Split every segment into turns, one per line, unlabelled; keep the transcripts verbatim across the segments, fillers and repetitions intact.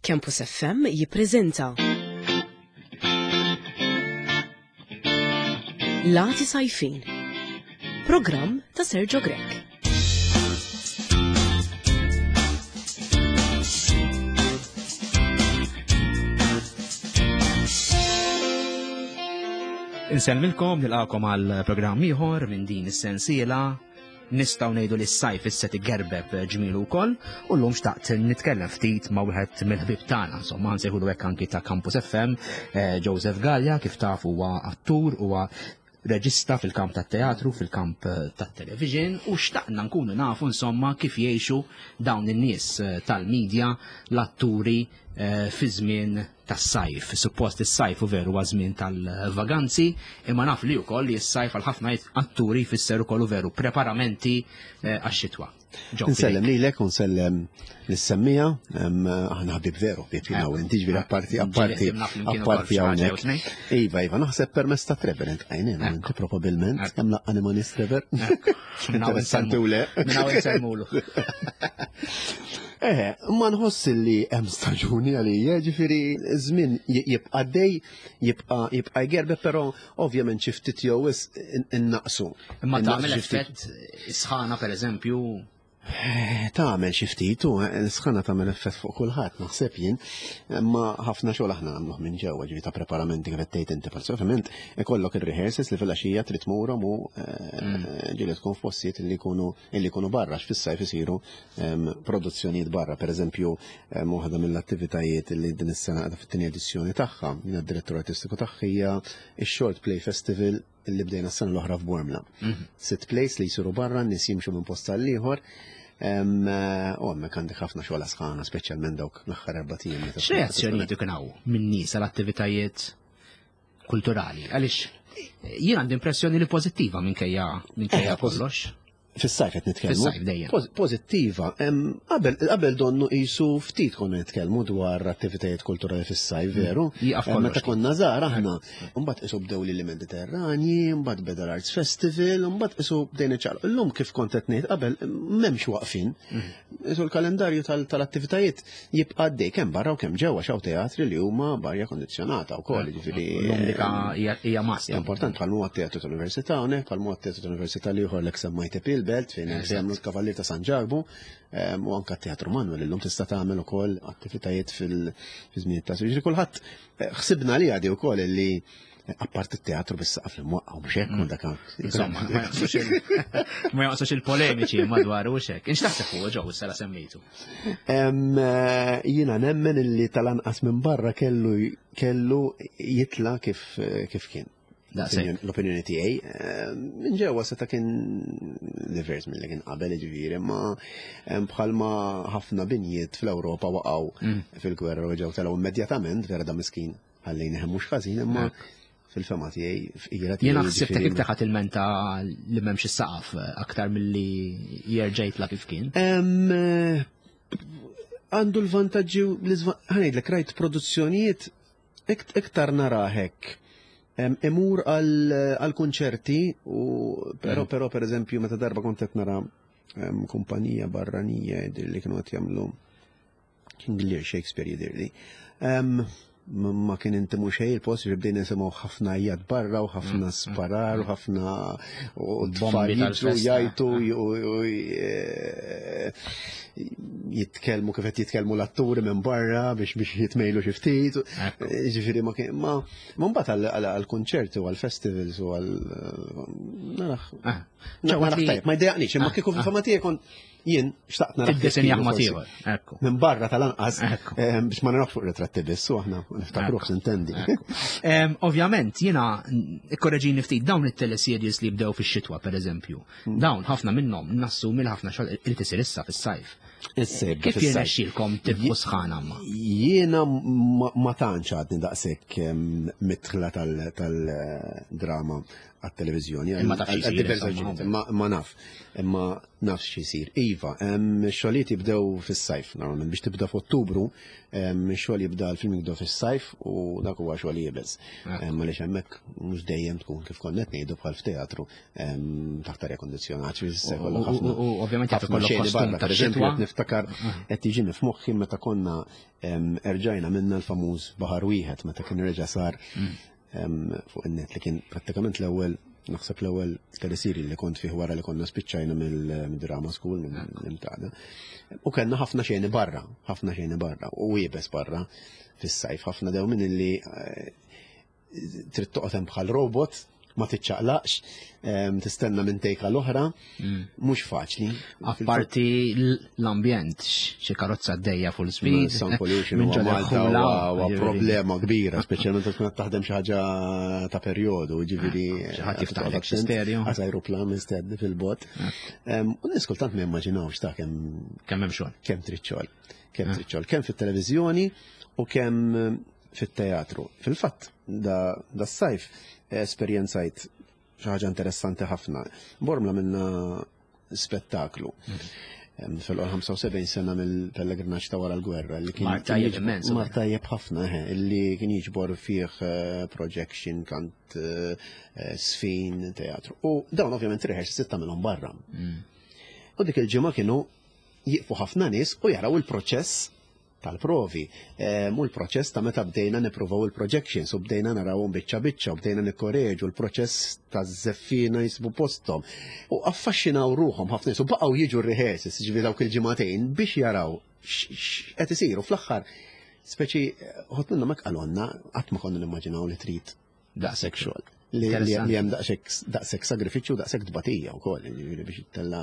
Campus F M jippreżenta Lati Sajfin, programm ta' Sergio Grech.
Insellmilkom, nilqakom għal programm ieħor minn din is-sensiela. Nistgħu ngħidu li s-sajf issa tigerbeb ġmielu wkoll, u llum xtaqt nitkellem ftit ma' wieħed mill-ħbieb tagħna, insomma nsejħulu hekk anki ta' Campus F M, eh, Joseph Galea, kif taf huwa attur, huwa reġista fil-kamp tat-teatru, fil-kamp tat-television, u xtaqna nkunu nafu insomma kif jgħixu dawn in-nies, eh, tal-medja, l-atturi, eh, fi żmien tas-sajf. Suppost is-sajf u veru huwa żmien tal-vaganzi, imma naf li wkoll li s-sajf għal ħafna atturi jfisser ukoll veru preparamenti, eh, għax-xitwa. Ġo,
Nsellem
fidejk.
lilek u nsellem lis-semmija, em, aħna ħabib veru, ħbib jiena u inti, ġifieri apparti,
Ġieli
apparti,
ħdimna flimkien ukoll
apparti
f'xi ħaġa
hawnhekk.
jew tnejn.
Iva, iva, naħseb permezz ta' Trevor int għajnejn,
Ekku.
inti probabbilment,
Ekku.
kemm laqqani ma' nies Trevor.
Ekku. Minn hawn
Interessanti u le.
Minn hawn insellmulu.
Eh, ma nħoss li hemm staġuni għalija, ġifieri żmien j-, jibqa' dej, jibqa', jibqa' jgerbe, però ovvjament xi ftit jew wisq in-, innaqsu.
Imma
Innaqsu
tagħmel
xi ftit.
effett sħana pereżempju?
Eh, tagħmel xi ftit, u, eh, l-sħana tagħmel effett fuq kulħadd, naħseb jien, imma ħafna xogħol aħna nagħmluh minn ġewwa, ġifieri ta' preparamenti kif qed tgħid inti, forsi ovvjament ikollok ir-rehearsals li fil-għaxija trid tmurhom u, eh,
Mm.
ġieli tkun f'postijiet li jkunu, li jkunu barra, għax fis-sajf isiru, ehm, produzzjonijiet barra, pereżempju, ehm, waħda mill-attivitajiet li din is-sena qiegħda fit-tieni edizzjoni tagħha, jiena d-direttur artistiku tagħha hija x-Short Play Festival li bdejna s-sena l-oħra f'Bormla.
Mhm.
Sitt plays li jsiru barra, n-nies jimxu minn post għal ieħor. Em, eh, u hemmhekk għandek ħafna xogħol sħana, speċjalment dawk l-aħħar erba' ijiem meta tkun
X'reazzjonijiet ikun hawn minn nies għal attivitajiet kulturali? Għaliex jien għandi impressjoni li pożittiva minkejja, minkejja
Eh, pożi-
kollox.
Fis-sajf qed nitkellmu.
Fis-sajf dejjem.
Poz-, pożittiva. Em, qabel, qabel donnu qisu ftit konna nitkellmu dwar attivitajiet kulturali fis-sajf,
Mm.
veru?
Jieqaf
Em,
kollox.
Meta konna żgħar aħna, mbagħad qisu bdew lili Mediterranji, mbagħad beda l-Arts Festival, mbagħad qisu bdejna ċaqlu. Illum kif kont qed ngħid qabel m'hemmx waqfin.
Mm.
Qisu l-kalendarju tal-, tal-attivitajiet jibqa' għaddej kemm barra u kemm ġewwa, x'hawn teatri li huma b'arja kondizzjonata wkoll,
Mm.
jiġifieri,
L-lum dik hija, hija must.
Hija importanti bħal huwa t-teatru tal-Università hawnhekk, bħal huwa t-teatru tal-Università li ieħor l-ek semmajt il-Belt fejn
Eżatt.
jagħmlu l-Kavallier ta' San Ġarbu, em, u anke t-Teatru Manuel illum tista' tagħmel ukoll attivitajiet fil-, fiż-żmien ta' Ġifieri kulħadd, eh, ħsibna li għadi wkoll li apparti t-teatru bis-saqaf li mwaqqa' u mhux hekk,
Mm.
dak hawn.
Insomma, ma jaqsux il-, ma jaqsux il-polemiċi madwar u hekk. Inx taħseb huwa ġew is-sena semmejtu?
Em, eh, jiena nemmen illi tal-anqas minn barra kellu, kellu jitla kif, kif kien.
Daqshekk.
L-opinjoni tiegħi, eh, minn ġewwa seta' kien divers milli kien qabel, jiġifieri, imma, em, bħalma ħafna binjiet fl-Ewropa waqgħu
Mm.
fil-gwerra u ġew telgħu immedjatament, vera da miskin ħallejna hemm mhux ħażin, imma
Ekk.
fil-fema tiegħi, f'ira tiegħi,
Jiena ħsibtek
jiġifieri
iktar ħadd ilmenta li m'hemmx is-saqaf aktar milli jerġa' jitla' kif kien.
Em, eh, għandu l-vantaġġi u l-iżva-, ħanejdlek, rajt produzzjonijiet ikt-, iktar narahek. Em, imur għal, għal konċerti, u però,
Mm.
però per eżempju meta darba kont qed nara, em, kumpanija barranija jidhirli li kienu qed jagħmlu King Lear Shakespeare jidhirli. Em, ma, ma kien intimu xejn il-post, ġifieri bdejna nisimgħu ħafna għajjat barra u ħafna
Mm, mm,
sparar u ħafna u
Bombi
tfal jiġru,
tal-festa.
jgħajtu, u, u, u, e, jitkellmu kif qed jitkellmu l-atturi minn barra biex, biex jitmejlu xi ftit.
Ekku.
Ġifieri ma kien, ma, ma mbagħad għal, għal, għal konċerti u għal festivals u għal, narax.
Ah.
Na,
Ġewwa
narax
li-
tajjeb, ma jdejjaqnix, imma
Ah,
kieku
ah.
fil-fama tiegħi kont jien xtaqt narax
Tiddisinjah
kif
ma
forsi.
ieħor, ekku.
Minn barra tal-anqas,
Ekku.
ehm, biex ma narax fuq ritratti biss, u aħna niftakruh
Ekku.
s'intendi.
Ekku. Ehm, ovvjament, jiena ikkoreġini ftit dawn it-teleseries li bdew fix-xitwa, per eżempju.
Hmm.
Dawn ħafna minnhom nassumi li ħafna xogħol irid isir issa fis-sajf.
Issa jibda
Kif
fis-sajf.
jirnexxielkom tibqu sħana ma?
Jiena ma, ma tantx għadni daqshekk, ehm, mitħla tal-, tal-drama għat-televiżjoni.
Imma taf xi
għal
jsir,
diversi
insomma.
raġunijiet. Ma ma naf, imma naf x'isir. Iva, em, xogħlijiet jibdew fis-sajf, normalment biex tibda f'Ottubru, em, xogħol jibda, l-film jibda fis-sajf u dak huwa xogħol iebes. Em, Għaliex hemmhekk mhux dejjem tkun, kif konna qed ngħidu, bħal f'teatru em, taħt arja kondizzjonat, ġifieri
U- u- u- ovvjament jaf
ħafna
ikollok
xeni
kostum
barra.
ta'
Per eżempju,
xitwa.
qed niftakar, qed tiġini f'moħħi meta konna em, erġajna minna l-famuż Baħar Wieħed, meta kien reġa' sar em, fuq in-net, li kien prattikament l-ewwel, naħseb l-ewwel teleserje li kont fih wara li konna spiċċajna mill-drama school, mill-Imtada. U kellna ħafna xeni barra, ħafna xeni barra u iebes barra fis-sajf, ħafna dew minn illi eh, trid toqgħod hemm bħal robot, ma tiċċaqlaqx, em, tistenna minn tejka l-oħra, mhux faċli.
Apparti l-ambjent, xi karozza għaddejja full speed.
Sound pollution
minn
huwa
ġo
Malta
l-ħula,
huwa huwa
ġifieri.
problema kbira, speċjalment tkun qed taħdem xi ħaġa ta' perjodu, ġifieri
Xi ħadd jiftaħlek xi stereo.
Għas ajruplan mistenni fil-bot. Em, U nies kultant ma jimmaġinawx ta' kemm
Kemm hemm xogħol.
kemm trid xogħol. Kemm trid xogħol, kemm fit-televiżjoni u kemm fit-teatru. Fil-fatt, da, da s-sajf esperjenzajt xi ħaġa interessanti ħafna. Bormla minna spettaklu. Em, Fil-ħamsa u sebgħin sena mill-pellegrinaġġ ta' wara l-gwerra. Li kien
Mar tajjeb
kien jiġbor-
immens.
Mar tajjeb ħafna, eħe, illi kien jiġbor fih eh, projection, kant, eh, eh, sfin, teatru. U dawn ovvjament rehearsals tagħmilhom barra. U dik il-ġimgħa kienu jiqfu ħafna nies u jaraw il-proċess tal-provi. Em, U l-proċess ta' meta bdejna nippruvaw il-projections u bdejna narawhom biċċa biċċa u bdejna nikkoreġu l-proċess ta' żeffina jisibu posthom. U affaxxinaw ruħhom ħafna nies u baqgħu jiġu r-rehearsals, ġifieri dawk il-ġimagħtejn, biex jaraw x'qed isiru fl-aħħar. Speċi ħodt minnhom hekk qalonna, "Qatt ma konna nimmaġinaw li trid daqshekk xogħol." Li li li hemm daqshekk daqshekk sagrifiċċju, daqshekk tbatija wkoll, ġifieri biex ittella.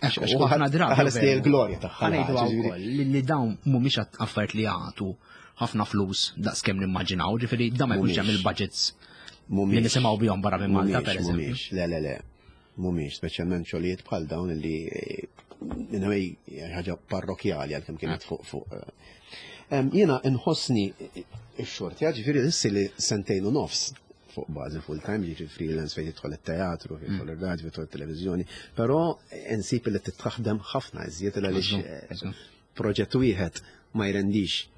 Ekku, u ħafna drabi.
Ħares li l-glorja tagħha.
Ħa ngħidu
ġifieri.
wkoll li li dawn mhumiex affarijiet li jagħtu ħafna flus daqs kemm nimmaġinaw, ġifieri da ma jkunx hemm
Mhumiex.
il-budgets li
Mhumiex.
nisimgħu bihom barra minn Malta,
Mhumiex,
per eżempju.
Mhumiex, le, le, le. Mhumiex, speċjalment xogħlijiet bħal dawn li eh, in a way ħaġa parrokjali, għalkemm kienet fuq fuq. eh. Em, Jiena nħossni ix-xorti, ġifieri issi li sentejn u nofs fuq bażi full time, ġifieri freelance fejn jidħol it-teatru, fejn jidħol ir-radju, fejn jidħol it-televiżjoni, però insib li titħaħdem ħafna iżjed għaliex eh, proġett wieħed ma jrendix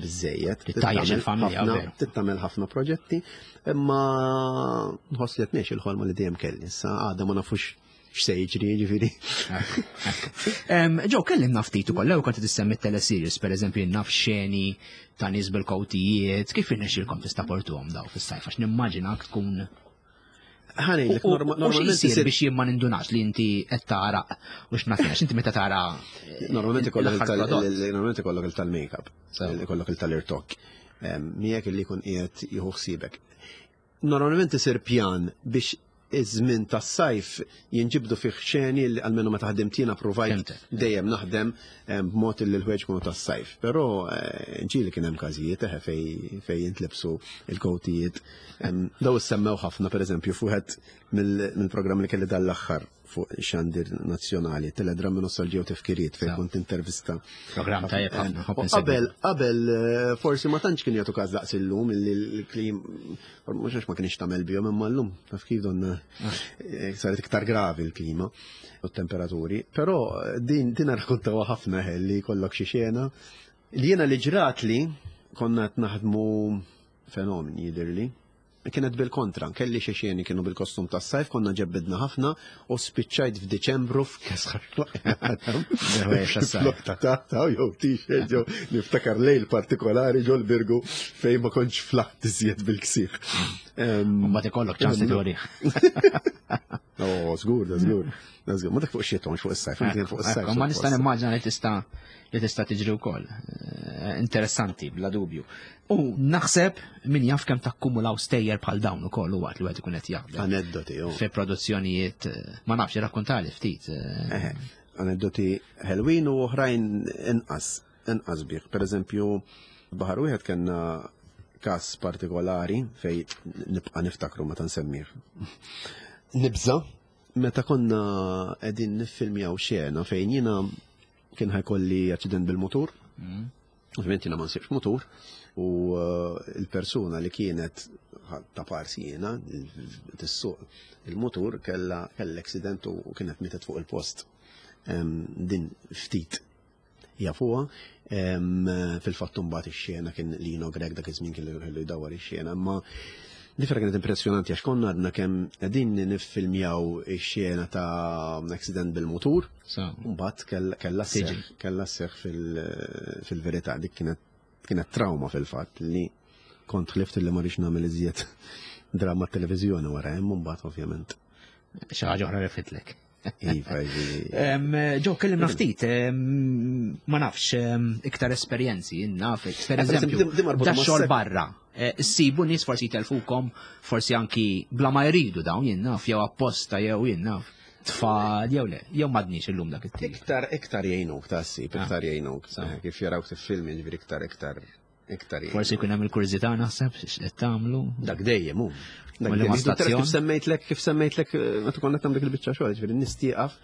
biżejjed.
Tittajjax il-familja,
ħafna-
veru.
Tittamel ħafna proġetti, imma nħoss li qed ngħix il-ħolma li dejjem kelli. Issa għadha ma nafux x'se jiġri, ġifieri.
Em, Joe, kellimna ftit ukoll, l kont tissemmi teleseries, per eżempju, naf xeni ta' nies bil-kowtijiet, kif irnexxielkom tistaportuhom daw fis-sajf, għax nimmaġinak tkun.
Ħa ngħidlek,
U- u-
norma-
u xi
normalment
jsir
isir
biex jien ma nindunax li inti qed tara u x'nafx, inti meta tara
Normalment ikollok
l-aħħar
il-tal-
prodott.
il- normalment ikollok il-tal-makeup,
Sew.
ikollok il-tal-irtokk. Miegħek illi jkun qiegħed jieħu ħsiebek. Normalment isir pjan biex iż-żmien tas-sajf jinġibdu fih xeni li almenu meta ħdimt jiena provajt
Fhimtek.
dejjem naħdem em, b'mod li l-ħwejjeġ kunu tas-sajf. Però eh, ġieli kien hemm każijiet eħe fej fej jintlibsu il-kowtijiet. Em, Daw issemmew ħafna, pereżempju, fuq mill-programm li kelli dal-aħħar fuq xandir nazzjonali, Teledrammi, Nostalġija u Tifkiriet, fejn
Sew.
kont intervista.
Programm tajjeb ħafna,
U
ħobb insegwi.
Qabel, qabel, eh, forsi ma tantx kien jagħtu każ daqs illum illi l-klim mhux għax ma kienx tagħmel bihom, imma llum taf kif donna eh, saret iktar gravi l-klima u t-temperaturi, però eh, din din rrakkontawha ħafna eh, li jkollok xi xena. Li jiena li ġrat li konna qed naħdmu Fenomeni, jidhirli. Kienet bil-kontra, kelli xi xeni kienu bil-kostum tas-sajf, konna ġebbidna ħafna u spiċċajt f'Diċembru f'kesħar.
tas-sajf.
Ta' ta' ta' jew t-shirt, jew niftakar lejl partikolari ġol Birgu fejn ma kontx flaħt iżjed bil-ksieħ.
Mbagħad ikollok ċans li turih.
Oh, żgur, da żgur. Da żgur. Ma dak fuq xita, mhux fuq is-sajf, kien fuq is-sajf.
Ekku, ma nista' nimmaġina li tista' li tista' tiġri wkoll. Eh, Interessanti, bla dubju. U naħseb min jaf kemm takkumulaw stejjer bħal dawn ukoll u waqt li wieħed ikun qed jaħdem.
Aneddoti, oh.
Fi produzzjonijiet, eh, ma nafx, rakkontali ftit. eh,
Eħe, aneddoti ħelwin u oħrajn inqas, inqas bih. Per eżempju, Baħar Wieħed kellna kas partikolari fej nibqa' niftakru meta nsemmih. Nibża, meta konna qegħdin niffilmjaw xena fejn jiena kien ħa jkolli aċċident bil-motur. Ovvijament jiena ma nsibx mutur u eh, il-persuna li kienet ta' parsi jiena tissuq il-mutur kella kella accident u kienet mietet fuq il-post. Din ftit jafuha. Fil-fatt mbagħad ix-xena kien Lino Grech dak iż-żmien kien li jdawwar ix-xena, imma difra kienet impressjonanti għax konna għadna kemm qegħdin niffilmjaw ix-xena ta' accident bil-mutur. Mbagħad kellha seħħ kellha seħħ fil-verità, dik kienet kienet trauma fil-fatt li kont ħlift li ma rridx nagħmel iżjed drama televiżjoni wara hemm, mbagħad ovvjament.
Xi ħaġa oħra refitlek.
Iva,
Ġo, kellimna ftit, ma nafx, iktar esperjenzi, naf, per eh, eżempju, da xogħol barra. Eh, issibu nies forsi jtelfukom, forsi anki bla ma jridu dawn, jien naf, jew apposta, jew jien naf, tfal, jew le, jew madniex illum dak it-tip.
Iktar, iktar jgħinuk, ta' ssib, ah. iktar jgħinuk. Eh, kif jarawk tifilmi, ġifieri iktar, iktar, iktar.
Forsi jkun hemm il-kurżità naħseb x'qed tagħmlu.
Dak dejjem hu. Dak dejjem. Kif semmejtlek, kif semmejtlek meta konna tagħmel dik il-biċċa xogħol, ġifieri nies tieqaf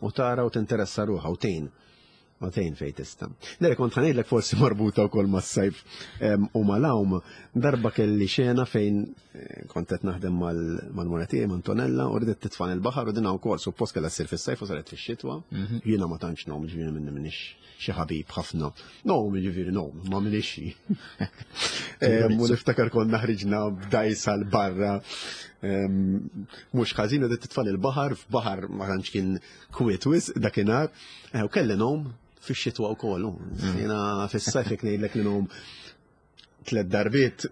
u tara u tinteressa ruħha u tgħin. U tgħin fejn tista'. Dere kont ħa ngħidlek forsi marbuta wkoll mas-sajf u mal-għawm, darba kelli xena fejn eh, kont qed naħdem mal-mara tiegħi Antonella u ridet titfan il-baħar u dinha wkoll suppost kellha ssir fis-sajf u saret fix-xitwa. Mhm. Jiena ma tantx ngħum, ġifieri minni minix xi ħabib ħafna. No, ġifieri no, ma minix. U niftakar konna ħriġna b'dajsa l-barra. Mhux ħażin u titfal il-baħar, f'baħar ma tantx kien kwiet wisq dakinhar. Eh, u kelli ngħum fix-xitwa wkoll. Mm. Jiena fis-sajf jekk ngħidlek li ngħum tliet darbiet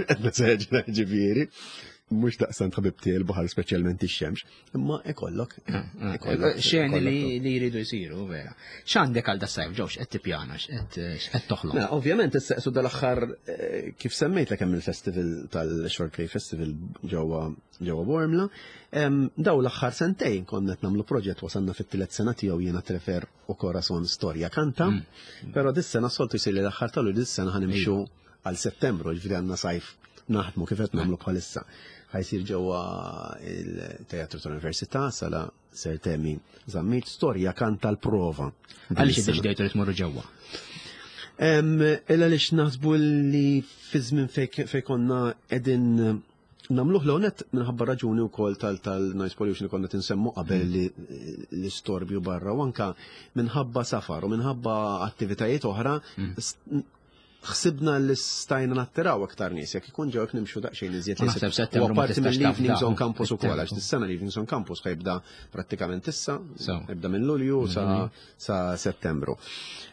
qed neseġra ġifieri. Mhux daqstant ħabib tiegħi il-baħar, speċjalment ix-xemx, imma ikollok.
Ah, ah, ikollok xeni li jridu jsiru, vera. X'għandek għal das-sajf, ġew, x'qed tippjana, x'qed toħloq?
Mela, ovvjament issa dal-aħħar eh, kif semmejtlek hemm il-festival tal-Short Play Festival ġewwa ġewwa Bormla. Daw l-aħħar sentejn konna qed nagħmlu proġett, wasalna fit-tielet sena tiegħu, jiena, Trefer u Corazon, Storja Kanta, mm. però dis-sena, soltu jsir li l-aħħar tal dis-sena ħa nimxu għal Settembru, ġifieri għandna sajf naħdmu kif qed nagħmlu bħalissa. Ħa jsir ġewwa il-Teatru tal-Università, sala Sir Temi Zammit, Storja Kanta l-prova.
Għaliex iddeċidejtu li tmorru ġewwa?
Illa għaliex naħsbu li fi żmien fej konna qegħdin nagħmluh l-għonet minħabba raġuni u kol tal-noise pollution li konna tinsemmu qabel, mm. li l-istorbju barra, u anka minħabba safar u minħabba attivitajiet oħra, mm. ħsibna li stajna nattiraw aktar nies jekk ikun ġew nimxu daqsxejn iżjed.
Naħseb
U apparti mill-Evenings on Campus ukoll, għax dis-sena l-Evenings on Campus ħa jibda prattikament issa, jibda minn Lulju sa mhm. sa Settembru.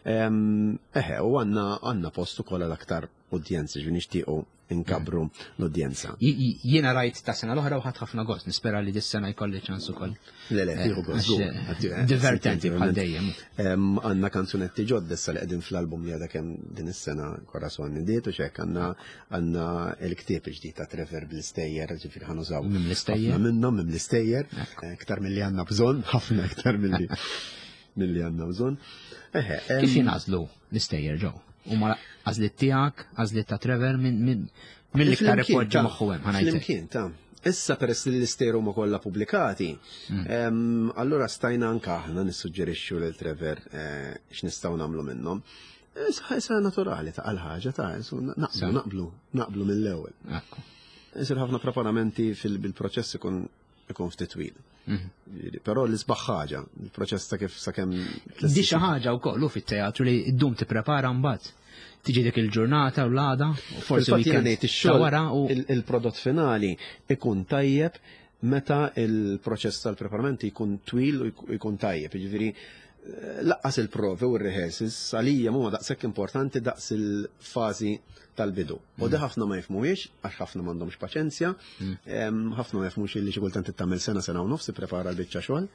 Eħe, u għandna għandna post ukoll għal aktar udjenzi, ġifieri nixtiequ inkabru l-udjenza.
Jiena rajt ta' sena l-oħra u ħadt ħafna gost, nispera li dis-sena jkolli ċans ukoll.
Le, le, tieħu gost.
Eh, divertenti bħal dejjem.
Għandna kanzunetti ġodda issa li qegħdin fl-album li għadha kemm din is-sena Corazon nidiet u xek, għandna għandna il-ktieb ġdid ta' Trevor bl-istejjer, ġifieri ħa nużaw.
Minn l-istejjer.
Minnhom minn l-istejjer, iktar milli għandna bżonn, ħafna iktar milli milli għandna bżonn.
Kif jingħażlu l-istejjer, ġew? U ma għażliet tiegħek, għażliet ta' Trevor, minn min mill-iktar ipoġġi moħħu hemm, ħa ngħidlek.
Flimkien, ta' issa peress li l-istejjer huma kollha pubblikati, mm. allura stajna anka aħna nissuġġerixxu lil Trevor eh, x'nistgħu nagħmlu minnhom. Issa naturali ta' għal-ħaġa ta' naqblu, naqblu, naqblu mill-ewwel. Isir ħafna preparamenti fil-proċess ikun ikun ftit twil. Mhm. Però l-isbaħ ħaġa, il-proċess ta' kif sakemm.
Di xi ħaġa wkoll fit-teatru li ddum tipprepara, mbagħad tiġi dik il-ġurnata u l-għada, u forsi
weekend wara u il-prodott finali ikun tajjeb meta il-proċess tal-preparamenti jkun twil u jkun tajjeb. Jiġifieri lanqas il-provi u r-rehearsals għalija mhuma daqshekk importanti daqs il-fażi tal-bidu. U di ħafna ma jifhmuhiex, għax ħafna m'għandhomx paċenzja, mm. ħafna ma jifhmux li xi kultant tagħmel sena, sena u nofs prepara l-biċċa xogħol,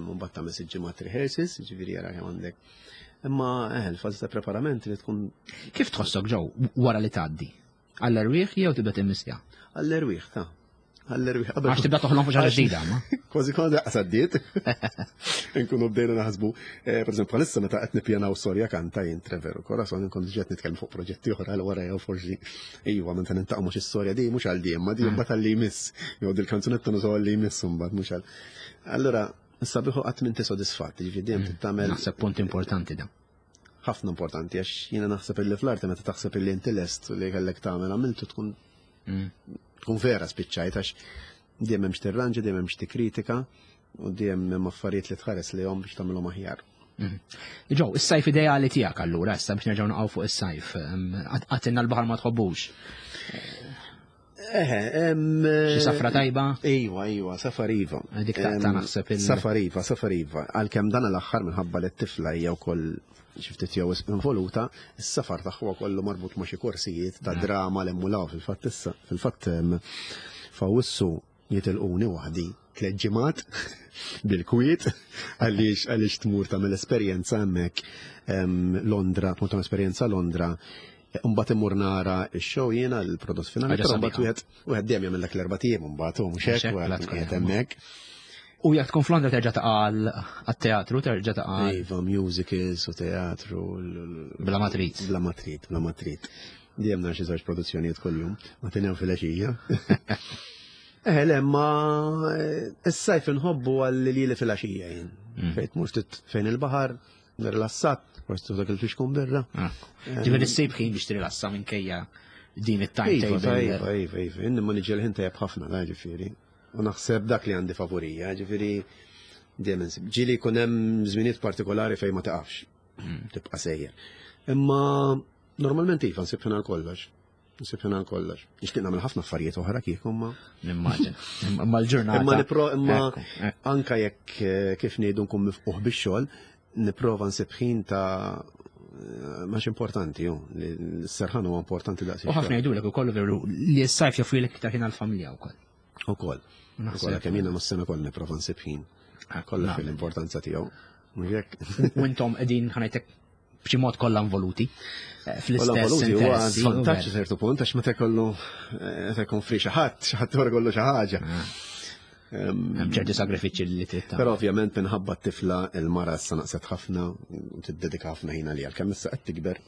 u mbagħad tagħmel sitt ġimgħat rehearsals, ġifieri jara kemm għandek. Imma eh, il-fażi ta' preparament li tkun.
Kif tħossok, ġew, wara li tgħaddi? Għall-erwieħ jew tibda timmissja?
Għall-erwieħ ta' għall-erwieħ.
Għax tibda toħlom fuq ħaġa ġdida, ma?
Kważi kważi daqs għaddiet. Nkunu bdejna naħsbu, eh, per eżempju, bħalissa meta qed nippjanaw Storja Kanta jien, Trevor u Corazon, nkun diġà nitkellmu fuq proġetti oħra għal wara, jew forsi iva meta nintaqgħu, mhux istorja di mhux għal di, imma di mbagħad għal li jmiss. Jew dil-kanzunetta nużaw għal li jmiss mbagħad, mhux għal. Allura, sabiħu qatt m'inti sodisfatt, ġifieri dejjem mm, tagħmel.
Naħseb punt importanti da.
Ħafna importanti, għax jiena naħseb illi fl-arti meta taħseb illi inti lest li kellek tagħmel għamiltu tkun
Mm.
tkun vera spiċċajt, għax dejjem hemm x'tirranġa, dejjem hemm x'tikkritika u dejjem hemm affarijiet li tħares lejhom biex tagħmilhom aħjar.
Mhm. Joe, is-sajf ideali tiegħek allura, issa biex nerġgħu naqgħu fuq is-sajf, għedtilna l-baħar ma tħobbux.
Eħe,
Xi safra tajba?
Iva, iva, safar iva.
Dik taqta' naħseb il-
Safar iva, safar iva. Għalkemm dan l-aħħar minħabba li t-tifla hija wkoll xi ftit jew involuta, is-safar tagħha kollu marbut ma' xi korsijiet ta' drama l emmulaw fil-fatt issa. Fil-fatt f'Awwissu jitilquni waħdi tliet ġimgħat bil-kwiet għaliex għaliex tmur tagħmel esperjenza hemmhekk Londra, tmur tagħmel esperjenza Londra. Mbagħad immur nara x-show jiena l-prodott finali, però mbagħad wieħed wieħed dejjem jagħmel dak l-erba' ijiem mbagħad u mhux hekk wieħed qiegħed hemmhekk.
U jekk tkun f'Londra terġa' taqa' għat-teatru, terġa' taqa'
Iva, musicals u teatru.
Bla ma trid.
Bla ma trid, bla ma trid. Dejjem nara xi żewġ produzzjonijiet kuljum, ma tinhew filgħaxija. Eh, le, ma is-sajf inħobbu għal li li filgħaxija jien. Mm. Fejn tmur ftit fejn il-baħar, rilassat, forsi dak il-fixkun birra.
Ah. Ġifieri ssib ħin biex tirilassa minkejja din it-timetable.
Iva, iva, iva, iva, inni ma niġi l-ħin tajjeb ħafna, da ġifieri. U naħseb dak li għandi favorija, ġifieri dejjem insib. Ġieli jkun hemm żminijiet partikolari fejn ma taqafx, mm. tibqa' sejjer. Imma normalment iva nsib ħin għal kollox. Nsib ħin għal kollox. Nixtieq nagħmel ħafna affarijiet oħra kieku ma.
Nimmaġina. Imma l-ġurnata.
Imma nipro imma anka jekk eh, kif ngħidu nkun mifquħ bix-xogħol, nipprova nsib ħin ta' max importanti, ju, li s-serħan huwa importanti daqs.
U ħafna jgħidulek ukoll veru li s-sajf joffrilek iktar ħin għall-familja wkoll.
Ukoll. Ukoll kemm jiena mas-sena kollha nipprova nsib ħin. Kollha fil-importanza tiegħu. Mhux hekk.
U intom qegħdin ħa ngħidlek b'xi mod kollha involuti eh, fl-istess
huwa żvantaġġ ċertu punt għax meta jkollu eh, meta jkun free xi ħadd, xi ħadd kollu xi ħaġa.
Ah. Hemm ċerti sagrifiċċji li trid
Però ovvjament minħabba t-tifla il-mara issa naqset ħafna u tiddedika ħafna ħin għalija. Kemm issa qed tikber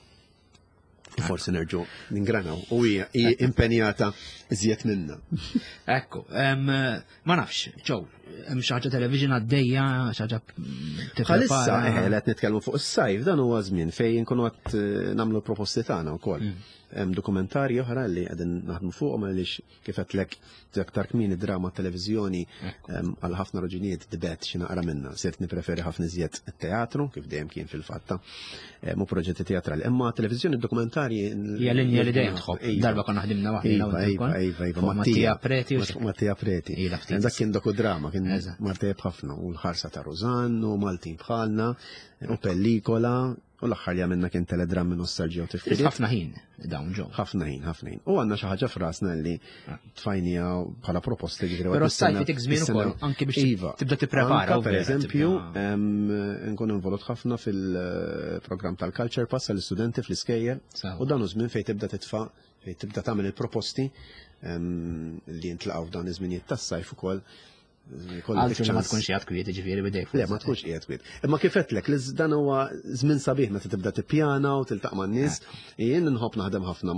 forsi nerġgħu ningranaw u hija impenjata iżjed minna.
Ekku, ma nafx, Joe, hemm xi ħaġa television għaddejja, xi ħaġa
Bħalissa eħe qed nitkellmu fuq is-sajf, dan huwa żmien fejn nkunu qed eh, nagħmlu proposti tagħna wkoll. Mm. Hemm dokumentarji oħra li qegħdin naħdmu fuqhom għaliex kif qedlek aktar kmieni drama televiżjoni għal ħafna raġunijiet dibet xi naqra minna. Sirt nippreferi ħafna iżjed it-teatru kif dejjem kien fil-fatta mu proġetti teatrali. Imma televiżjoni dokumentarji
hija linja li dejjem tħobb. Darba konna ħdimna waħda.
Iva, iva, iva, iva,
Mattia Preti.
Mattia Preti. Dak kien dokudrama, kien martejb ħafna u l-ħarsa ta' Rużan u Maltin bħalna u pellikola u l-aħħar li għamilna kien teledrammi nostalġija u tifkiriet.
Ħafna ħin dawn ġew.
Ħafna ħin, ħafna ħin. U għandna xi ħaġa f'rasna li ah. tfajnija bħala proposti
ġifieri. Però s-sajf itik żmien ukoll anke biex iva. tibda tipprepara.
Per eżempju, nkun involut ħafna fil-programm tal-Culture Pass għall-istudenti fl-iskejjel u dan hu żmien fejn tibda titfa' fejn tibda tagħmel il-proposti li jintlaqgħu f'dan iż-żminijiet tas-sajf ukoll.
Għalfejn ma tkunx qiegħed kwiet, ġifieri bidej.
Le, ma tkunx qiegħed kwiet. Imma kif għedtlek, li dan huwa żmien sabiħ meta tibda tippjana u tiltaq man-nies. Jien nħobb naħdem ħafna,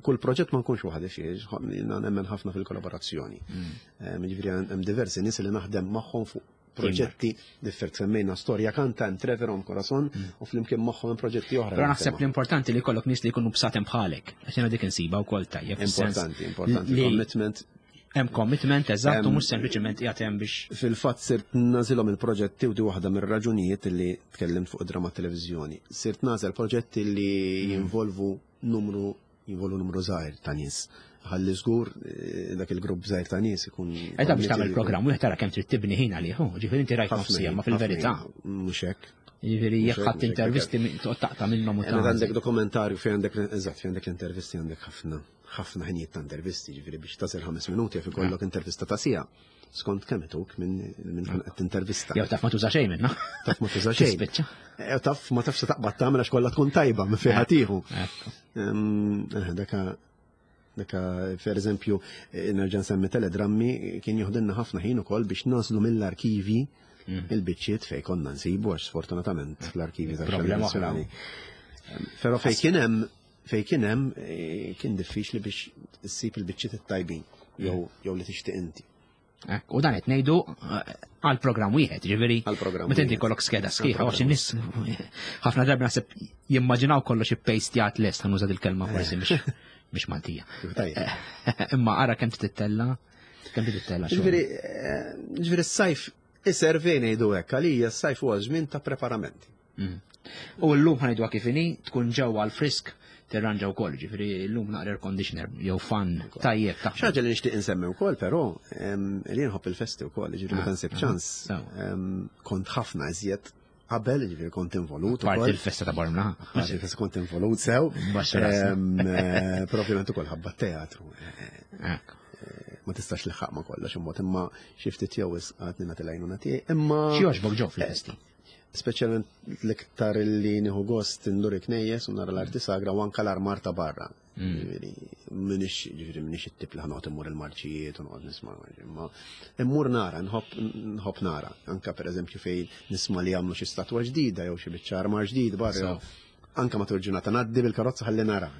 kull proġett ma nkunx waħdi fih, jiena nemmen ħafna fil-kollaborazzjoni. Mm. Ġifieri hemm diversi nies li naħdem magħhom fuq proġetti differenti. Semmejna Storja Kanta, hemm Trevor on Corazon mm. u flimkien magħhom hemm proġetti oħra.
Però naħseb l-importanti li jkollok nies li jkunu bsaten bħalek, għax jiena dik insiba wkoll tajjeb.
Importanti, importanti, commitment.
Hemm commitment eżatt u mhux sempliċement qiegħed hemm biex.
Fil-fatt sirt nagħżilhom il-proġetti u di waħda mir-raġunijiet li tkellimt fuq drama televiżjoni. Sirt nagħżel proġetti li mm. jinvolvu numru jinvolvu numru żgħir ta' nies. Ħalli żgur eh, dak il-grupp żgħir ta' nies ikun.
Qed biex tagħmel programm wieħed tara kemm trid tibni ħin għalih, ġifieri inti rajt nofsija, ma fil-verità.
Mhux hekk.
Ġifieri jekk ħadd intervisti toqgħod taqta' minnhom u
ta' għandek dokumentarju fejn għandek eżatt fejn għandek l-intervisti għandek ħafna ħafna ħinijiet ta' intervisti, ġifieri biex tasel ħames minuti jaf ikollok intervista ta' siegħa. Skont kemm ituk minn minn tkun qed tintervista.
Jew taf ma tuża xejn minna.
Taf ma tuża xejn.
Tispiċċa.
Jew taf ma tafx se taqbad tagħmel għax kollha tkun tajba minn fejn ħatiħu. Eh, daka daka per eżempju nerġa' nsemmi teledrammi kien joħdilna ħafna ħin ukoll biex naslu mill-arkivi mm. il-biċċiet fejn konna nsibu għax sfortunatament fl-arkivi
Problema oħra.
Però fejn kien hemm fejn kien hemm eh, kien diffiċli biex issib il-biċċiet it-tajbin jew jew li tixtieq inti.
Ekk, u dan qed ngħidu eh, għal programm wieħed, ġifieri
Għal programm
meta inti
wieħed.
jkollok skeda sħiħa,
Għal
għax in-nies ħafna drabi naħseb jimmaġinaw kollox ippejstjat lest, ħa nuża il-kelma forsi mhix mhix Maltija.
Tajjeb.
Imma ara kemm tittella, kemm tittella xogħol.
Ġifieri, eh, ġifieri s-sajf iservi ngħidu hekk, għalija s-sajf huwa żmien ta' preparamenti.
Mm. U llum ħa ngħidu kif inhi tkun ġewwa l-frisk tirranġa wkoll, ġifieri llum naqra air conditioner jew fan tajjeb taħt.
Xi ħaġa li nixtieq insemmi wkoll però em, li nħobb il-festi wkoll, ġifieri meta nsib
Ah,
ċans,
sew.
em, kont ħafna iżjed qabel, ġifieri kont involut
Parti
ukoll.
il-festa ta' Bormla.
Parti il-festa kont involut sew.
Baxxa rasna.
Em, eh, Però ovvjament ukoll ħabba teatru. Eh,
Ekk.
Ma tistax liħaq ma kollox imbagħad imma xi ftit jew għadni nagħti l-għajnuna tiegħi. Imma
Xi jogħġbok ġew fil-festi?
Speċjalment l-iktar li nieħu gost indur il-knejjes u nara l-arti sagra u anka l-armar ta' barra.
Mm.
Ġifieri, Minix ġifieri minix it-tip li ħa noqgħod immur il-marċijiet u noqgħod nisma' imma immur nara, nħobb nħobb nara. Anka pereżempju fejn nisma' li jagħmlu xi statwa ġdida jew xi biċċa armar ġdid barra.
So.
Anka matul ġurnata ngħaddi bil-karozza ħalli nara.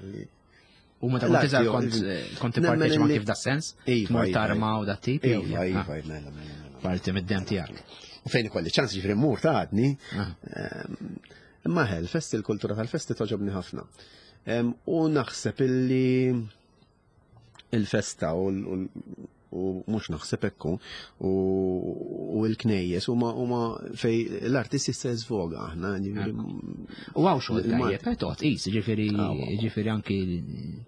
U meta kont
L-arti
iżgħar
jew-
kont eh, kont
Nemmen
tipparteċipa
li-
anki f'da sens?
Iva,
Tmur
iva,
tarma u dat tip? jew-
Iva,
Ah,
iva, mela, mela, mela.
Parti mid-dem tiegħek.
U fejn ikolli ċans ġifieri mmur ta' għadni.
Ah.
Ehm, Imma ħel, festi l-kultura tal-festi toġobni ħafna. Ehm, U naħseb illi il-festa u l- u l- u mhux naħseb ekku u u l-knejjes huma huma fej l-artist jista' jiżvoga aħna ġifieri
U hawn xogħol
Il-Malti.
tajjeb, eh, toqgħod qis, ġifieri
Ah, wa, wa.
ġifieri anki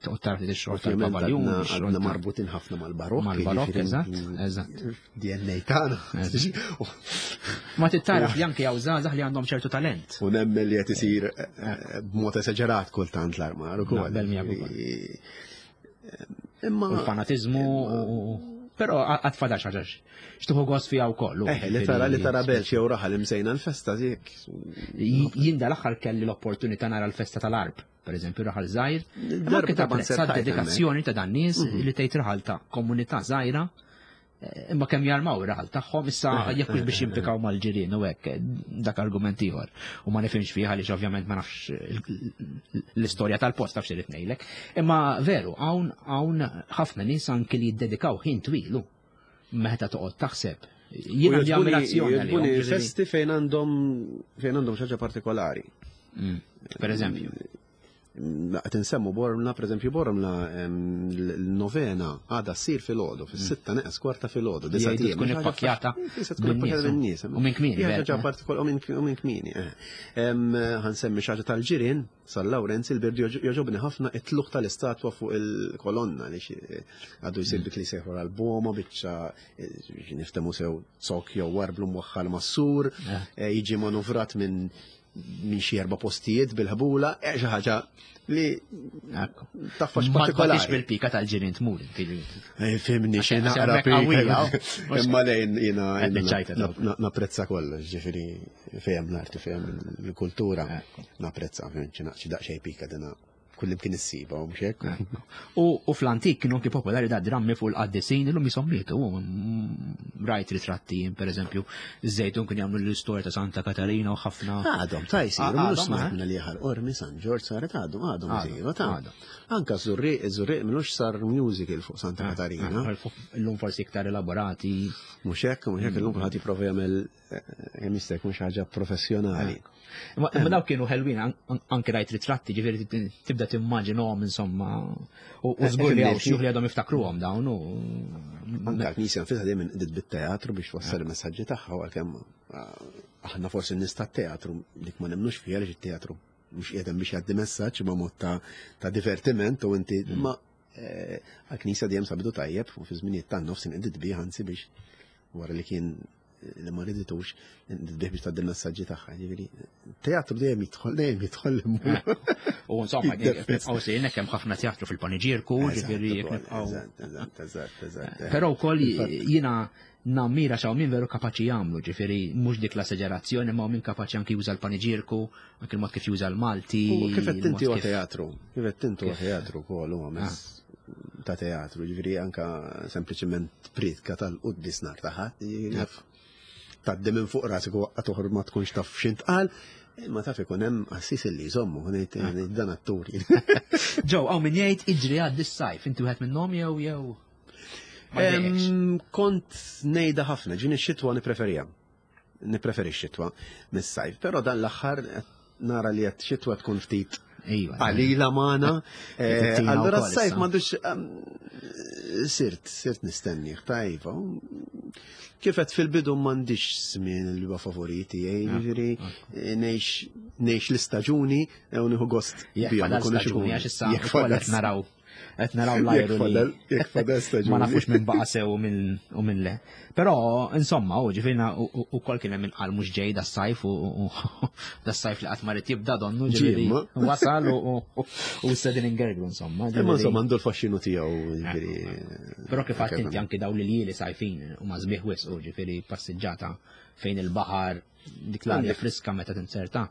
toqgħod tara ftit ix-xogħol
Ovvjament
tal-pavaljun,
għadna
ix-xogħol
għadna
ta'
marbutin ħafna mal-barokk.
Mal-barokk,
ġifieri,
eżatt, eżatt.
D N A tagħna.
Ma tittaraf li anki hawn żgħażagħ li għandhom ċertu talent.
U nemmen li qed isir eh, b'mod esaġerat kultant l-armar ukoll.
Naqbel miegħek ukoll.
Imma
U l-fanatizmu u però għad fadal xi ħaġa x'tieħu gost fiha wkoll. u
Eh, li tara li tara belt jew raħal imsejna l-festa dik.
Jien dal-aħħar kelli l-opportunità nara l-festa tal-Għarb, per eżempju, raħal żgħir. Imma
Darba
anke
ta'
tapprezza
konsertajt
dedikazzjoni ta' dan nies li tgħid raħal ta' komunità żgħira eh, imma kemm jarmaw ir-raħal tagħhom issa
Eh,
jekk hux biex jimpikaw mal-ġirien u hekk dak argument ieħor. U ma nifhimx fih għaliex ovvjament ma nafx l-istorja tal-post taf x'irid ngħidlek. Imma veru hawn hawn ħafna nies anki li jiddedikaw ħin twilu meta toqgħod taħseb. Jien għandi ammirazzjoni għalihom,
Jogħġbuni
ġifieri-
festi fejn għandhom fejn għandhom xi ħaġa partikolari.
Mm, Per eżempju.
Qed insemmu Bormla, per eżempju Bormla em, l-novena għadha ssir filgħodu, fis-sitta neqes kwarta filgħodu.
Li jgħidu tkun ippakkjata
Tkun ippakkjata
bin-nies,
bin-nies.
u minn kmieni,
Hija
vera,
ħaġa
eh.
partikolari u minn u minn kmieni. eh. Em, Ħa nsemmi xi ħaġa tal-ġirien, San Lawrenz il-Birdu jogħġobni ħafna it-tlugħ tal-istatwa fuq il-kolonna li xi- għadu jsir dik li sejħu għal-boma biċċa eh, niftemu sew zokk jew warblu mwaħħal mas-sur,
Eh.
eh, jiġi manuvrat minn minn xi erba' postijiet bil-ħbula, eh, xi ħaġa li
Ekku.
taffax
Ma tbatix
partikolari.
bil-pika tal-ġirien tmur. inti.
Eh, Fimni xi
Għax
naqra
hemmhekk qawwija,
pika. Imma lejn jiena
Qed
jiena
niċċajta
na- na- napprezza kollox, ġifieri fehem l-arti, fehem l-kultura,
Ekku.
napprezza, fim, xi naq- xi daqsxejn pika dina kullimkien issiba u mhux hekk.
U, u fl-antik kienu anki popolari da drammi fuq il-qaddisin, illum jisommitu. Rajt ritratti, per eżempju, Żejtun kien jagħmlu l-istorja ta' Santa Katarina u ħafna.
Għadhom, ta' jisiru,
Ah,
mhux
għadhom,
smajt
eh?
minna li ħal Qormi San Ġorġ saret għadhom, għadhom
Għadhom,
isiru, ta'
għadhom.
Anka Żurrieq, Żurrieq minux sar musical fuq Santa Katarina.
Ah, Illum forsi iktar elaborati.
Mhux hekk, mhux hekk illum kulħadd jipprova jagħmel eh, kemm jista' jkun xi ħaġa professjonali.
Imma imma dawk kienu ħelwin an- an- anke rajt ritratti, ġifieri tibda timmaġinhom insomma. U u żgur li hawn xjuħ li għadhom jiftakruhom dawn u
Anka l-Knisja nfisha dejjem inqdiet bit-teatru biex twassal il-messaġġi tagħha u għalkemm ah, aħna forsi n-nies tat-teatru dik ma nemmnux fiha għaliex it-teatru mhux qiegħed hemm biex jgħaddi messaġġ imma mod ta' ta' divertiment u inti ma eh, għall-Knisja dejjem sabitu tajjeb u fi żminijiet tan-nofs inqdiet bih anzi biex wara li kien li ma riditux inqdiet bih biex tgħaddi il-messaġġi tagħha. Ġifieri teatru dejjem jidħol dejjem jidħol
U insomma,
Jiddefes.
nibqgħu sejrin hemm ħafna teatru fil-paniġierku, ġifieri jekk nibqgħu.
Eżatt, eżatt, eżatt, eżatt.
Però wkoll jiena nammira xaw min veru kapaċi jagħmlu, ġifieri mhux dik l-esagerazzjoni, ma min kapaċi anki juża l-paniġierku, anki l-mod kif juża l-Malti.
U kif qed inti
il-mod
huwa
kif-
teatru, kif qed inti huwa teatru wkoll huwa mezz ta' teatru, ġifieri anka sempliċement pritka tal-quddis nar ta' ħadd, tgħaddi minn fuq rasek u waqqa toħor ma tkunx taf x'intqal, imma taf ikun hemm qassis li jżommu, ngħid ngħid dan atturi.
Ġew, hawn min jgħid iġri għaddi s-sajf, inti wieħed minnhom jew jew.
Kont ngħidha ħafna, ġini x-xitwa nippreferija. Nippreferi x-xitwa mis-sajf, però dan l-aħħar nara li qed xitwa tkun ftit qalila magħna. Allura s-sajf m'għandux sirt, sirt nistennieh, tajba. Kif qed fil-bidu m'għandix żmien li huwa favoriti, jiġifieri ngħix l-istaġuni u nieħu gost
bihom. Staġuni għax issa qed naraw qed naraw l-ajru li ma nafux minn baqa' sew u minn le. Però insomma, u ġifieri ukoll kien hemm inqal mhux ġej das-sajf u das-sajf li qatt ma rid jibda donnu ġifieri wasal u issa din ingerglu insomma.
Imma insomma għandu l-faxxinu tiegħu ġifieri.
Però kif għedt inti anki dawn l-iljieli sajfin huma sbieħ wisq u ġifieri passiġġata fejn il-baħar dik l-arja friska meta tinserta.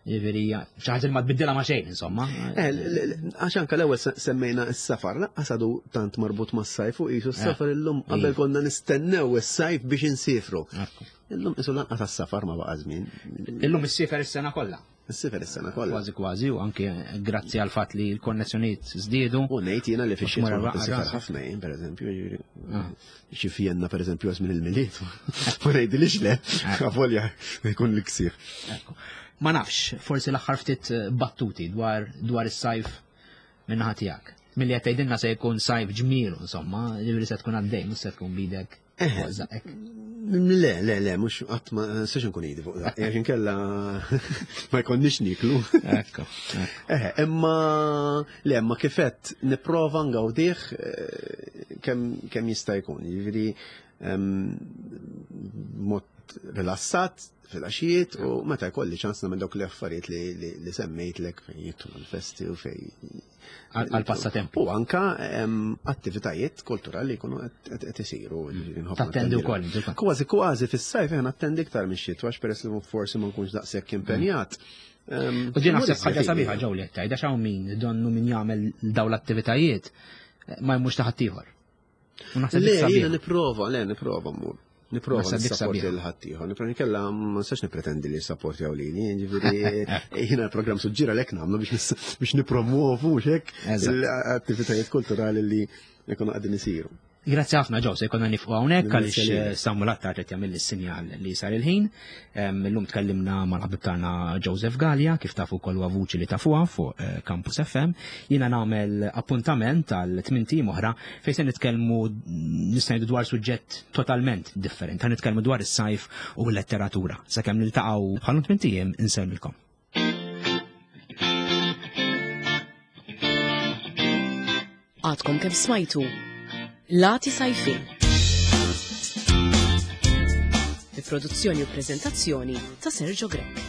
Ġifieri xi ħaġa li ma tbiddilha ma' xejn insomma.
Għax anke l-ewwel semmejna s-safar, lanqas għadu tant marbut mas-sajf u qisu s-safar illum qabel konna nistennew is-sajf biex insifru. Illum qisu lanqas għas-safar ma baqa' żmien.
Illum issifer is-sena kollha.
Issifer is-sena kollha.
Kważi kważi u anke grazzi għal fatt li l-konnessjonijiet żdiedu.
U ngħid jiena li fix-xitwa nsifer ħafna jien pereżempju, jiġifieri xi Vienna pereżempju żmien il-Milied. Ma ngħidilix le, avolja jkun l-ksieħ.
Ma nafx, forsi l-aħħar ftit battuti dwar dwar is-sajf min-naħa tiegħek. Milli qed tgħidilna se jkun sajf ġmielu insomma, jiġifieri se tkun għaddej, mhux se tkun bidek.
Le, le, le, mhux qatt ma nistax nkun idi fuq dak, għax inkella ma jkollniex niklu.
Ekku.
Eh, imma le, imma kif qed nipprova ngawdih kemm kemm jista' jkun. Jiġifieri mod rilassat fil-għaxijiet u meta jkolli ċans nagħmel dawk l-affarijiet li li semmejtlek fejn jidħlu l-festi u fejn
għal-passatempo.
U anka attivitajiet kulturali jkunu qed isiru.
Tattendi wkoll.
Kważi kważi fis-sajf jien attendi iktar mix-xitwa għax peress li forsi ma nkunx daqshekk impenjat.
U din naħseb ħaġa sabiħa ġew li qed tgħid għax hawn min donnu min jagħmel dawn l-attivitajiet ma jmurx ta' ħaddieħor.
Le, jiena nipprova, le nipprova mmur. Nipprova nisapporti lil ħaddieħor, nipprova nkella ma nistax nippretendi li jissapportjaw lili, jiġifieri jiena l-programm suġġira lek nagħmlu biex nippromuovu mhux hekk l-attivitajiet kulturali li jkunu qegħdin isiru.
Grazzi ħafna ġew, se jkollna nifqu hawnhekk għaliex Samuel Attard qed jagħmel is-sinjal li sar il-ħin. Illum tkellimna mal-ħabib tagħna Joseph Galea, kif tafu wkoll huwa vuċi li tafuha fuq Campus F M. Jiena nagħmel appuntament għal tmien tim oħra fejn se nitkellmu nista' ngħidu dwar suġġett totalment differenti. Ħa nitkellmu dwar is-sajf u l-letteratura. Sakemm niltaqgħu bħal tmien ijiem insellmilkom.
Għadkom kemm smajtu Lati Sajfin. Bi produzzjoni u prezentazzjoni ta' Sergio Grech.